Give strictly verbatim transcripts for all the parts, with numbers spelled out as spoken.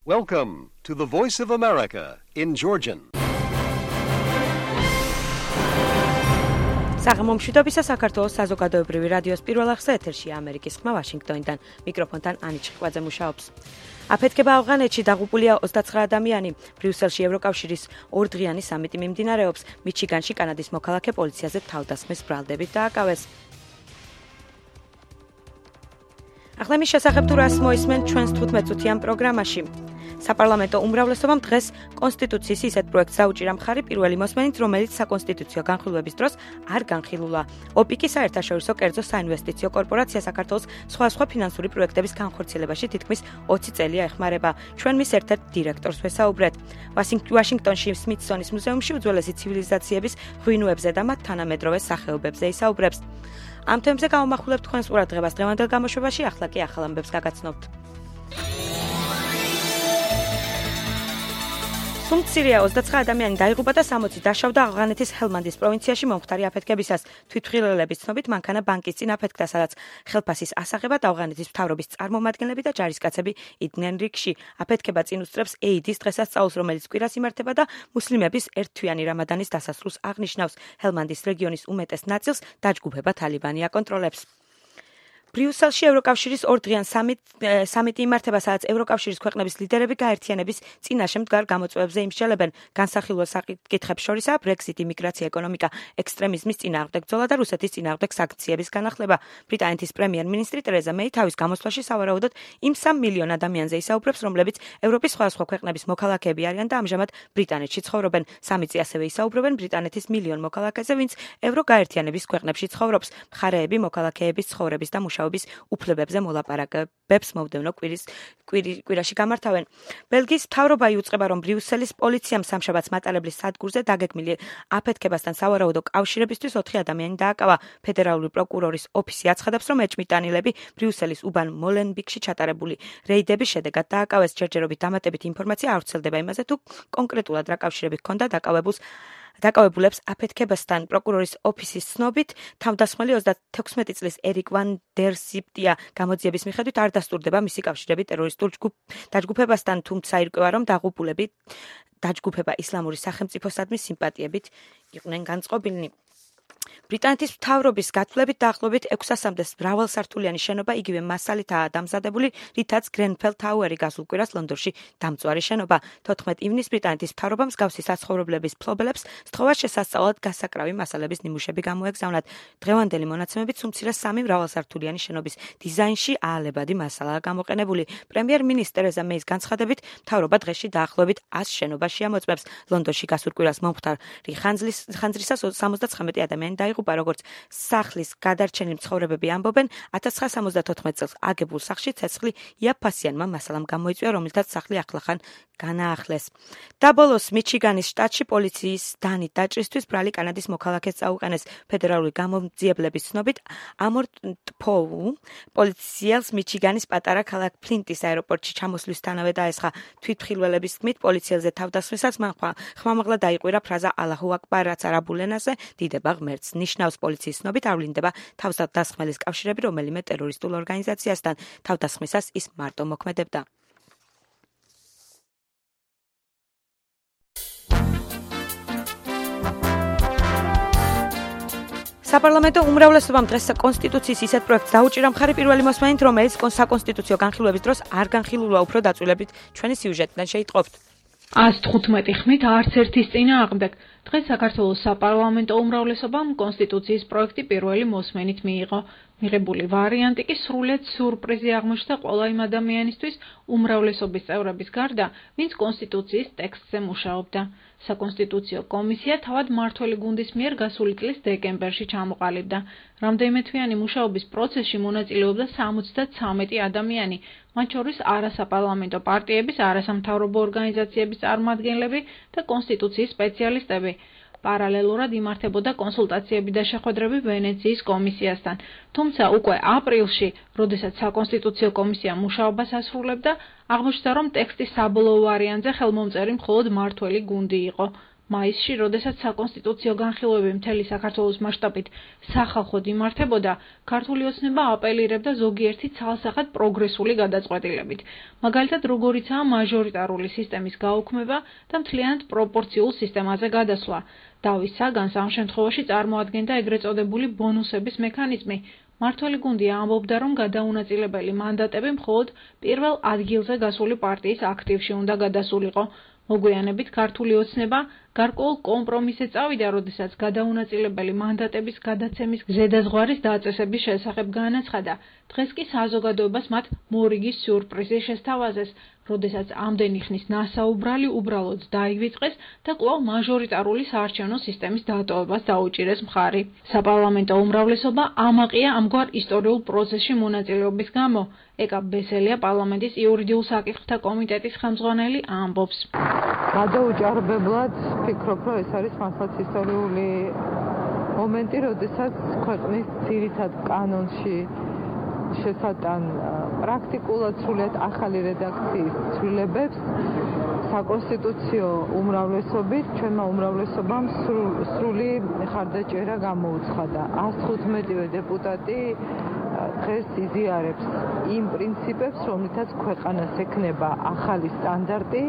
Welcome to the Voice of America in Georgian. საღამომშვიდობისა საქართველოს საზოგადოებრივი რადიოს პირველ ახსნა ეთერშია ამერიკის ხმა ვაშინგტონიდან. მიკროფონთან ანი ჭიხვაძე მუშაობს. აფეთქება ავღანეთში დაღუპულია ოცდაცხრა ადამიანი. ბრიუსელში ევროკავშირის ორდღიანი სამიტი მიმდინარეობს. მიჩიგანში კანადის მოქალაქე პოლიციაზე თავდასხმის ბრალდებით დააკავეს. ახლა მის შესახებ თუ რას მოისმენ ჩვენს თხუთმეტ წუთიან პროგრამაში. საპარლამენტო უმრავლესობამ დღეს კონსტიტუციის ისეთ პროექტს დაუჭირა მხარი პირველი მოსმენით, რომელიც საკონსტიტუციო განხილვების დროს არ განხილულა. ოპიკი საერთაშორისო კერძო საინვესტიციო კორპორაცია საქართველოს სხვადასხვა ფინანსური პროექტების განხორციელებაში თითქმის ოცი წელია ეხმარება. ჩვენ მის ერთ-ერთ დირექტორს ვესაუბრეთ. ვაშინგტონში სმითსონის მუზეუმში უძველესი ცივილიზაციების ღვინოებზე და მათ თანამედროვე სახეობებზე ისაუბრებს. ამ თემებზე გავამახვილებთ თქვენს ყურადღებას დღევანდელ გამოშვებაში, ახლა კი ახალ ამბებს გაგაცნობთ. სუმცირია ოცდაცხრა ადამიანი დაიღუპა და სამოცი დაშავდა ავღანეთის ჰელმანდის პროვინციაში მომხდარი აფეთქებისას. თვითმხილველების ცნობით მანქანა ბანკის წინ აფეთქდა, სადაც ხელფასის ასაღებად ავღანეთის მთავრობის წარმომადგენლები და ჯარისკაცები იდგნენ რიგში. აფეთქება წინ უსწრებს ეიდის დღესასწაულს, რომელიც კვირას იმართება და მუსლიმების ერთთვიანი რამადანის დასასრულს აღნიშნავს. ჰელმანდის რეგიონის უმეტეს ნაწილს დაჯგუფება თალიბანი აკონტროლებს. ბრიუსელში ევროკავშირის ორდღიან სამიტი იმართება, სადაც ევროკავშირის ქვეყნების ლიდერები გაერთიანების წინაშე მდგარ გამოწვევებზე იმსჯელებენ. განსახილველ საკითხებს შორისაა ბრექსიტი, მიგრაცია, ეკონომიკა, ექსტრემიზმის წინააღმდეგ ბრძოლა და რუსეთის წინააღმდეგ სანქციების განახლება. ბრიტანეთის პრემიერ-მინისტრი ტერეზა მეი თავის გამოსვლაში სავარაუდოდ იმ სამ მილიონ ადამიანზე ისაუბრებს, რომლებიც ევროპის სხვადასხვა ქვეყნების მოქალაქეები არიან და ამჟამად ბრიტანეთში ცხოვრობენ. სამიტი ასევე ისაუბრებენ ბრიტანეთის მილიონ მოქალაქეზე, ვინც ევროგაერთიანების ქვეყნებში ცხოვრობს. მხარეები მოქალაქეების ცხოვრების და მუშაობის უფლებებზე მოლაპარაკებებს მომდევნო კვირის კვირაში გამართავენ. ბელგიის მთავრობა იუწყება, რომ ბრიუსელის პოლიციამ სამშაბათს მატარებლის სადგურზე დაგეგმილი აფეთქებასთან სავარაუდო კავშირებისთვის ოთხი ადამიანი დააკავა. ფედერალური პროკურორის ოფისი აცხადებს, რომ ეჭვმიტანილები ბრიუსელის უბან მოლენბიკში ჩატარებული რეიდების შედეგად დააკავეს. ჯერჯერობით დამატებით ინფორმაცია არ ვრცელდება იმაზე, თუ კონკრეტულად რა კავშირები ჰქონდა დაკავებულს დაკავებულებს აფეთქებასთან. პროკურორის ოფისის ცნობით, თავდასხმელი ოცდათექვსმეტი წლის ერიკ ვან დერ სიპტია გამოძიების მიხედვით არ დასტურდება მისი კავშირები ტერორისტულ დაჯგუფებასთან, თუმცა ირკვევა, რომ დაღუპულები დაჯგუფება ისლამური სახელმწიფოსადმი სიმპათიებით იყვნენ განწყობილნი. ბრიტანეთის მთავრობის გათვლებით დაახლოებით ექვსასამდე მრავალსართულიანი შენობა იგივე მასალითაა დამზადებული, რითაც გრენფელ თაუერი გასულ კვირას ლონდონში დამწვარი შენობა. თოთხმეტ ივნისს ბრიტანეთის მთავრობამ მსგავსი საცხოვრებლების მფლობელებს სთხოვა შესასწავლად გასაკრავი მასალების ნიმუშები გამოეგზავნათ. დღევანდელი მონაცემებით სუმცირე სამი მრავალსართულიანი შენობის დიზაინში აალებადი მასალაა გამოყენებული. პრემიერ-მინისტრი ტერეზა მეის განცხადებით, მთავრობა დღეში დაახლოებით ას შენობაში ამოწმებს. ლონდონში გასულ კვირას მომხდარი ხანძრისას სამოცდაცხრამეტი ადამიანი დაიღუპა, როგორც სახლის გადარჩენილი მცხოვრებები ამბობენ. ათას ცხრაასა სამოცდათოთხმეტ წელს აგებულ სახლში ცეცხლი იაფფასიანმა მასალამ გამოიწვია, რომელთაც სახლი ახლახან განაახლეს. და ბოლოს მიჩიგანის შტატში პოლიციის დანით დაჭრისთვის ბრალი კანადის მოქალაქეს წაუყენეს. ფედერალური გამოძიებლების ცნობით, ამორტ-პოუ პოლიციელს მიჩიგანის პატარა ქალაქ ფლინტის აეროპორტში ჩამოსვლისთანავე დაესხა. თვითმხილველების თქმით, პოლიციელზე თავდასხმისას მან ხმამაღლა დაიყვირა ფრაზა ალაჰუ აკბარ, რაც არაბულ ენაზე დიდება ღმერთს ნიშნავს. პოლიციის ცნობით არ ვლინდება თავდასხმელის კავშირები რომელიმე ტერორისტულ ორგანიზაციასთან. თავდასხმისას ის მარტო მოქმედებდა. საპარლამენტო უმრავლესობამ დღეს კონსტიტუციის ისეთ პროექტს დაუჭირა მხარი პირველი მოსმენით, რომელიც საკონსტიტუციო განხილვების დროს არ განხილულა. უფრო დაწვრილებით ჩვენი სიუჟეტიდან შეიტყობთ. ას თხუთმეტი ხმით არც ერთის წინააღმდეგ. დღეს საქართველოს საპარლამენტო უმრავლესობამ კონსტიტუციის პროექტი პირველი მოსმენით მიიღო. მიღებული ვარიანტი კი სრულად სიურპრიზი აღმოჩნდა ყველა იმ ადამიანისთვის უმრავლესობის წევრების გარდა, ვინც კონსტიტუციის ტექსტზე მუშაობდა. საკონსტიტუციო კომისია თავად მმართველი გუნდის მიერ გასული წლის დეკემბერში ჩამოყალიბდა. რამდენიმე თვიანი მუშაობის პროცესში მონაწილეობდა სამოცდაცამეტი ადამიანი, მათ შორის არასაპარლამენტო პარტიების, არასამთავრობო ორგანიზაციების წარმომადგენლები და კონსტიტუციის სპეციალისტები. პარალელურად იმართებოდა კონსულტაციები და შეხვედრები ვენეციის კომისიასთან. თუმცა უკვე აპრილში, როდესაც საკონსტიტუციო კომისია მუშაობას ასრულებდა, აღმოჩნდა, რომ ტექსტის საბოლოო ვარიანტზე ხელმომწერი მხოლოდ მმართველი გუნდი იყო. მაისში, როდესაც საკონსტიტუციო განხილვები მთელი საქართველოს მასშტაბით სახალხოდ იმართებოდა, ქართული ოცნება აპელირებდა ზოგიერთი ცალსახად პროგრესული გადაწყვეტილებით. მაგალითად, როგორიცაა მაჟორიტარული სისტემის გაუქმება და მთლიანად პროპორციულ სისტემაზე გადასვლა. დავის საგანს ამ შემთხვევაში წარმოადგენდა ეგრეთ წოდებული ბონუსების მექანიზმი. მართველი გუნდი ამბობდა, რომ გადაუნაწილებელი მანდატები მხოლოდ პირველ ადგილზე გასული პარტიის აქტივში უნდა გადასულიყო. მოგვიანებით ქართული ოცნება გარკვეულ კომპრომისზე წავიდა, როდესაც გადაუნაწილებელი მანდატების გადაცემის ზედაზღვარის დაწესების შესახებ განაცხადა. დღეს კი საზოგადოებას მათ მორიგის სიურპრიზი შესთავაზეს, როდესაც ამდენი ხნის ნასაუბრალი უბრალოდ დაივიწყეს და კვლავ მაჟორიტარული საარჩევნო სისტემის დატოვებას დაუჭირეს მხარი. საპარლამენტო უმრავლესობა ამაყია ამგვარ ისტორიულ პროცესში მონაწილეობის გამო. ეკა ბესელია პარლამენტის იურიდიულ საკითხთა კომიტეტის ხელმძღვანელი ამბობს. გადაუჭარბებლად ვფიქრობ, რომ ეს არის მართლაც ისტორიული მომენტი, როდესაც ქვეყნის ძირითად კანონში შესატან პრაქტიკულად სრულიად ახალი რედაქციის ცვლილებებს საკონსტიტუციო უმრავლესობით ჩვენმა უმრავლესობამ სრული ხარდაჭერა გამოუცხადა. ას თხუთმეტივე დეპუტატი დღეს იზიარებს იმ პრინციპებს, რომლითაც ქვეყანას ექნება ახალი სტანდარტი.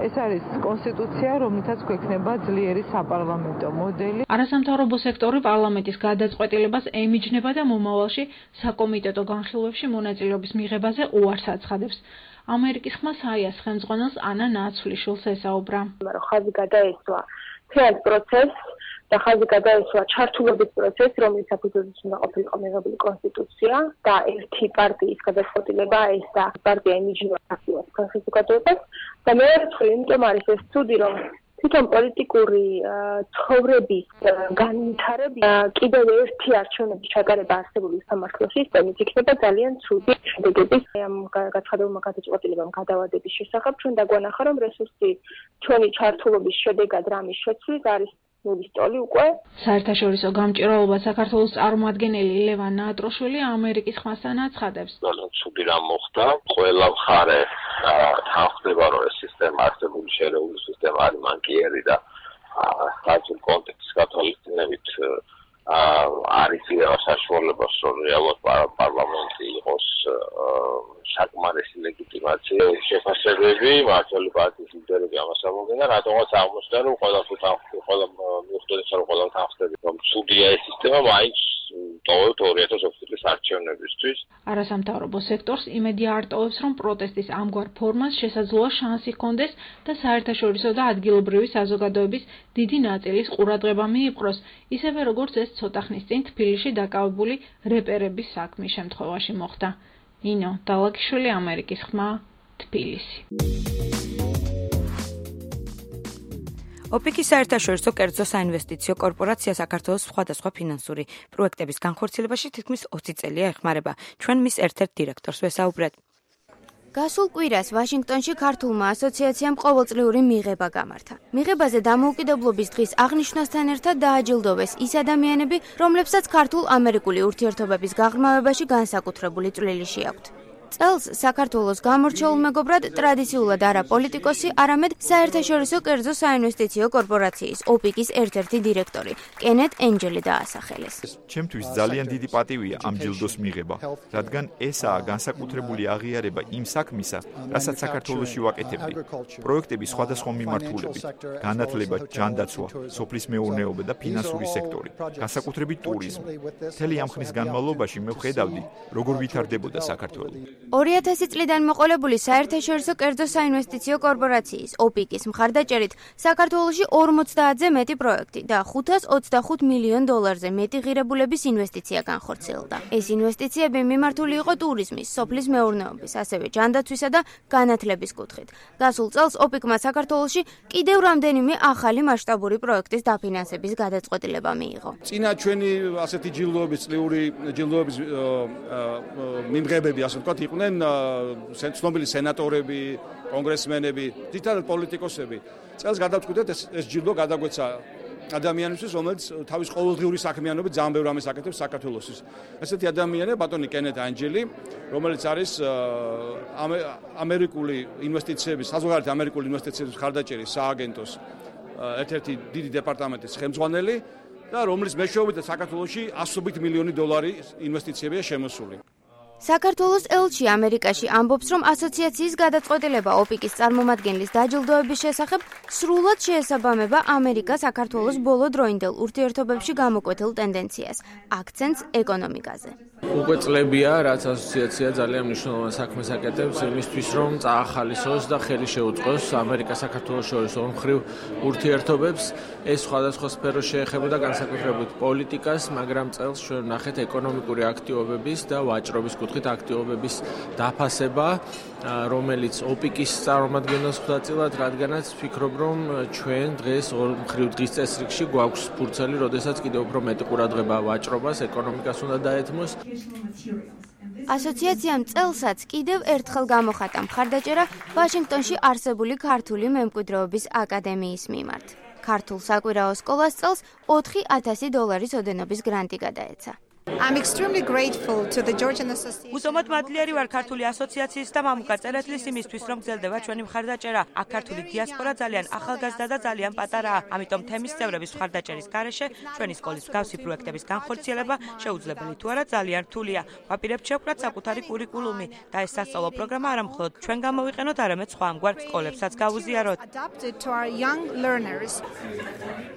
ეს არის კონსტიტუცია, რომლითაც გვექნება ძლიერი საპარლამენტო მოდელი. არასამთავრობო სექტორი პარლამენტის გადაწყვეტილებას ემიჯნება და მომავალში საკომიტეტო განხილვებში მონაწილეობის მიღებაზე უარს აცხადებს. ამერიკის ხმა საიას ხელმძღვანელს ანა ნაცვლიშვილს ესაუბრა. მაგრამ ხაზი გადაესვა მთელ პროცესს და ხაზი გადაესვა ჩართულობის პროცესს, რომელიც საფუძველზე უნდა ყოფილიყო მიღებული კონსტიტუცია და ერთი პარტიის გადაწყვეტილება ეს და პარტია ემიჯნება აქტიურად საზოგადოებას და მეორე მხრივ, იმიტომ არის ეს ცუდი, რომ თვითონ პოლიტიკური ცხოვრების განვითარება კიდევ ერთი არჩევნების ჩატარება არსებული სამართლის სისტემით იქნება ძალიან ცუდი შედეგების ამ გაცხადებულმა გადაწყვეტილებამ გადავადების შესახებ. ჩვენ დაგვანახა, რომ რესურსი ჩვენი ჩართულობის შედეგად რამის შეცვლის არის ნულის ტოლი უკვე. საერთაშორისო გამჭირვალობა საქართველოს წარმომადგენელი ლევან ნატროშვილი ამერიკის ხმასთან აცხადებს. ძალიან ცუდი რამ მოხდა. ყველა მხარე თანხმდება, რომ ეს სისტემა არსებული შერეული სისტემა არის მანკიერი და სტატიურ კონტექსტის გათვალისწინებით არის იღება საშუალებას, რომ რეალურად პარლამენტი იყოს საკმარისი ლეგიტიმაცია. შეფასებები მართალი პარტიის ლიდერები ამას ამბობენ და რატომაც აღმოჩნდა, რომ ყველა ყველა მიუხედავად რომ ყველა თანხმდება, რომ ცუდია ეს სისტემა, მაინც ტოვებთ ორი ათას ოთხი წლის არჩევნებისთვის. არასამთავრობო სექტორს იმედი არტოვებს, რომ პროტესტის ამგვარ ფორმას შესაძლოა შანსი ჰქონდეს და საერთაშორისო და ადგილობრივი საზოგადოების დიდი ნაწილის ყურადღება მიიპყროს, ისევე როგორც ეს ცოტა ხნის წინ თბილისში დაკავებული რეპერების საქმის შემთხვევაში მოხდა. ნინო დალაგიშვილი, ამერიკის ხმა, თბილისი. ოპიკის საერთაშორისო კერძო საინვესტიციო კორპორაცია საქართველოს სხვადასხვა ფინანსური პროექტების განხორციელებაში თითქმის ოცი წელია ეხმარება. ჩვენ მის ერთ-ერთ დირექტორს ვესაუბრეთ. გასულ კვირას ვაშინგტონში ქართულმა ასოციაციამ ყოველწლიური მიღება გამართა. მიღებაზე დამოუკიდებლობის დღის აღნიშვნასთან ერთად დააჯილდოვეს ის ადამიანები, რომლებსაც ქართულ-ამერიკული ურთიერთობების გაღრმავებაში განსაკუთრებული წვლილი შეაქვთ. წელს საქართველოს გამორჩეულ მეგობრად ტრადიციულად არა პოლიტიკოსი, არამედ საერთაშორისო კერძო საინვესტიციო კორპორაციის ოპიკის ერთ-ერთი დირექტორი კენეთ ენჯელი დაასახელეს. ჩემთვის ძალიან დიდი პატივია ამ ჯილდოს მიღება, რადგან ესაა განსაკუთრებული აღიარება იმ საქმისა, რასაც საქართველოში ვაკეთებდი. პროექტების სხვადასხვა მიმართულებით, განათლება, ჯანდაცვა, სოფლის მეურნეობა და ფინანსური სექტორი, განსაკუთრებით ტურიზმი. მთელი ამ ხნის განმავლობაში მე ვხედავდი, როგორ ვითარდებოდა საქართველო. ორი ათასი წლიდან მოყოლებული საერთაშორისო კერძო საინვესტიციო კორპორაციის ოპიკის მხარდაჭერით საქართველოში ორმოცდაათზე მეტი პროექტი და ხუთას ოცდახუთ მილიონ დოლარზე მეტი ღირებულების ინვესტიცია განხორციელდა. ეს ინვესტიციები მიმართული იყო ტურიზმის, სოფლის მეურნეობის, ასევე ჯანდაცვისა და განათლების კუთხით. გასულ წელს ოპიკმა საქართველოში კიდევ რამდენიმე ახალი მასშტაბური პროექტის დაფინანსების გადაწყვეტილება მიიღო. წინა ჩვენი ასეთი ჯილდოების წლიური ჯილდოების მიმღებები ასე ვთქვათ იყვნენ ცნობილი სენატორები, კონგრესმენები, თითქმის პოლიტიკოსები. წელს გადავწყვიტეთ ეს ეს ჯილდო გადაგვეცა ადამიანისთვის, რომელიც თავის ყოველდღიური საქმიანობით ძალიან ბევრ ამას აკეთებს საქართველოსთვის. ესეთი ადამიანია ბატონი კენეთ ენჯელი, რომელიც არის ამერიკული ინვესტიციების, საზოგადოებრივი ამერიკული ინვესტიციების მხარდაჭერის სააგენტოს ერთ-ერთი დიდი დეპარტამენტის ხელმძღვანელი და რომლის მეშვეობით საქართველოში ასობით მილიონი დოლარი ინვესტიციებია შემოსული. საქართველოს ელჩი ამერიკაში ამბობს, რომ ასოციაციის გადაწყვეტილება ოპიკის წარმომადგენლის დაჯილდოების შესახებ სრულად შეესაბამება ამერიკა საქართველოს ბოლო დროინდელ ურთიერთობებში გამოკვეთილ ტენდენციას, აქცენტს ეკონომიკაზე. უკვე წლებია, რაც ასოციაცია ძალიან მნიშვნელოვან საქმეს აკეთებს იმისთვის, რომ წაახალისოს და ხელი შეუწყოს ამერიკა-საქართველოს შორის ორმხრივ ურთიერთობებს. ეს სხვადასხვა სფეროს შეეხებოდა განსაკუთრებით პოლიტიკას, მაგრამ წელს ჩვენ ვნახეთ ეკონომიკური აქტივობების და ვაჭრობის კუთხით აქტივობების დაფასება, რომელიც ოპიკის წარმომადგენელს ხვდა წილად, რადგანაც ვფიქრობ, რომ ჩვენ დღეს ორმხრივ დღის წესრიგში გვაქვს ფურცელი, როდესაც კიდევ უფრო მეტი ყურადღება ვაჭრობას, ეკონომიკას უნდა დაეთმოს. ასოციაციამ წელსაც კიდევ ერთხელ გამოხატა მხარდაჭერა ვაშინგტონში არსებული ქართული მემკვიდრეობის აკადემიის მიმართ. ქართულ საკვირაო სკოლას წელს ოთხი ათასი დოლარის ოდენობის გრანტი გადაეცა. I'm extremely grateful to the Georgian Association. Უსამოდ მადლიერი ვარ ქართული ასოციაციის და მამუკა წერეთლის იმისთვის, რომ გრძელდება ჩვენი მხარდაჭერა. აქ ქართული დიასპორა ძალიან ახალგაზრდა და ძალიან პატარაა. ამიტომ თემის წევრების მხარდაჭერის გარეშე ჩვენი სკოლის მსგავსი პროექტების განხორციელება შეუძლებელი თუ არა ძალიან რთულია. ვაპირებთ შევკრათ საკუთარი კურიკულუმი და ეს სასწავლო პროგრამა არა მხოლოდ ჩვენ გამოვიყენოთ, არამედ სხვა ამგვარ სკოლებსაც გავუზიაროთ.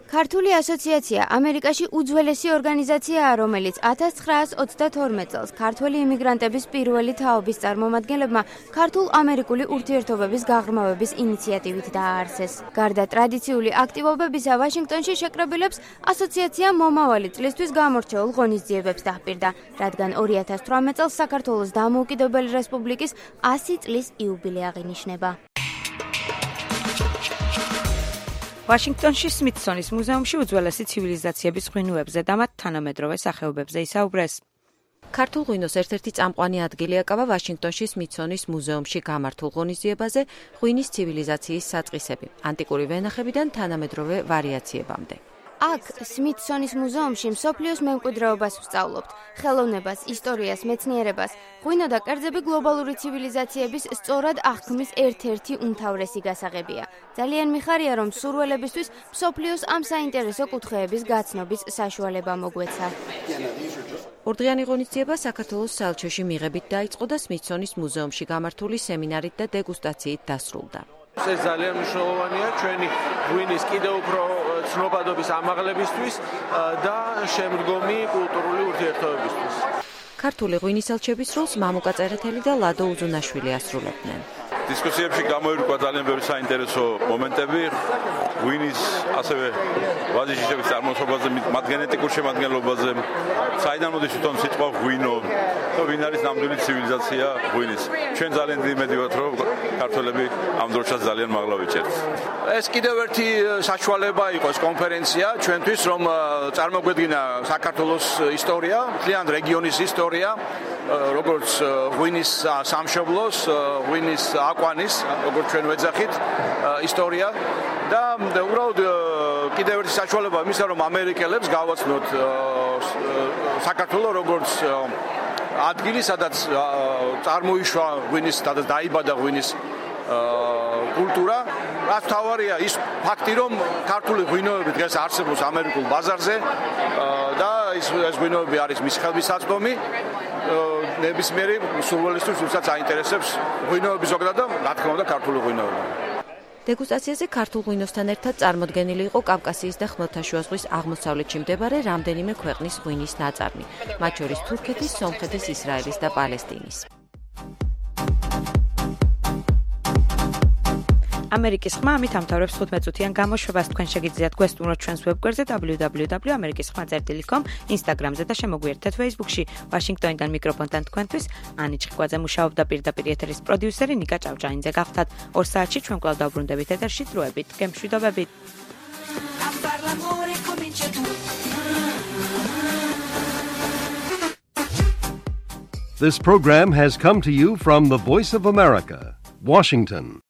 ქართული ასოციაცია ამერიკაში უძველესი ორგანიზაციაა, რომელიც ათას ცხრაას ოცდათორმეტ წელს ქართველი იმიგრანტების პირველი თაობის წარმომადგენლებმა ქართულ-ამერიკული ურთიერთობების გაღრმავების ინიციატივით დააარსეს. გარდა ტრადიციული აქტივობებისა, ვაშინგტონში შეკრებილებს ასოციაცია მომავალი წლისთვის გამორჩეულ ღონისძიებებს დაჰპირდა, რადგან ორი ათას თვრამეტ წელს საქართველოს დამოუკიდებელი რესპუბლიკის ასი წლის იუბილე აღინიშნება. ვაშინგტონში სმითსონის მუზეუმში უძველესი ცივილიზაციების ღვინოებზე და მათ თანამედროვე სახეობებზე ისაუბრეს. ქართულ ღვინოს ერთ-ერთი წამყვანი ადგილი აკავა ვაშინგტონში სმითსონის მუზეუმში გამართულ ღონისძიებაზე ღვინის ცივილიზაციის საწყისები, ანტიკური ვენახებიდან თანამედროვე ვარიაციებამდე. აქ სმითსონის მუზეუმში მსოფლიოს მემკვიდრეობას ვსწავლობთ, ხელოვნებას, ისტორიას, მეცნიერებას. ღვინო და კერძები გლობალური ცივილიზაციების სწორად აღქმის ერთ-ერთი უმთავრესი გასაღებია. ძალიან მიხარია, რომ სურველებისთვის მსოფლიოს ამ საინტერესო კუთხეების გაცნობის საშუალება მოგვეცა. ორდღიანი ღონისძიება საქართველოს საელჩოში მიღებით დაიწყო და სმითსონის მუზეუმში გამართული სემინარით და დეგუსტაციით დასრულდა. ეს ძალიან მნიშვნელოვანია ჩვენი ღვინის კიდევ უფრო ცნობადობის ამაღლებისთვის და შემდგომი კულტურული ურთიერთობებისთვის. ქართული ღვინის ელჩების როლს მამუკა წერეთელი და ლადო უზუნაშვილი ასრულებდნენ. დისკუსიებში გამოირკვა ძალიან ბევრი საინტერესო მომენტები ღვინის, ასევე ვაზის წარმოშობაზე, მათ გენეტიკურ შემადგენლობაზე, საიდან მოდის თვითონ სიტყვა ღვინო და ვინ არის ნამდვილი ცივილიზაცია ღვინის. ჩვენ ძალიან დიდი იმედი ვართ, რომ ქართველები ამ დროშას ძალიან მაღლა ვიჭერთ. ეს კიდევ ერთი საშუალება იყო ეს კონფერენცია ჩვენთვის, რომ წარმოგვედგინა საქართველოს ისტორია, მთლიან რეგიონის ისტორია, როგორც ღვინის სამშობლოს, ღვინის აკვანის, როგორც ჩვენ ვეძახით, ისტორია და უბრალოდ კიდევ ერთი საშუალება იმისა, რომ ამერიკელებს გავაცნოთ საქართველოს როგორც ადგილი, სადაც წარმოიშვა ღვინის, სადაც დაიბადა ღვინის კულტურა. რაც თავარია ის ფაქტი, რომ ქართული ღვინოები დღეს არსებობს ამერიკულ ბაზარზე და ეს ღვინოები არის მის ხელმისაწვდომი ნებისმიერი სურვილისთვის, ვისაც აინტერესებს ღვინოები ზოგადად და რა თქმა უნდა ქართული ღვინოები. დეგუსტაციაზე ქართულ ღვინოსთან ერთად წარმოდგენილი იყო კავკასიის და ხმელთაშუა ზღვის აღმოსავლეთში მდებარე რამდენიმე ქვეყნის ღვინის ნაწარმი, მათ შორის თურქეთის, სომხეთის, ისრაელის და პალესტინის. ამერიკის ხმა ამით ამთავრებს თხუთმეტ წუთიან გამოშვებას. თქვენ შეგიძლიათ გვესტუმროთ ჩვენს ვებგვერდზე დაბლიუ დაბლიუ დაბლიუ ელს ამერიკის ხმა წერტილი კომ, ინსტაგრამზე და შემოგვიერთეთ ფეისბუქში. ვაშინგტონიდან მიკროფონთან თქვენთვის ანი ჭყიკვაძე მუშაობდა, პირდაპირ ეთერის პროდიუსერი ნიკა ჭავჭაინძე გახდათ. ორ საათში ჩვენ კვლავ დავბრუნდებით ეთერში, დროებით, გემშვიდობებით. This program has come to you from the Voice of America, Washington.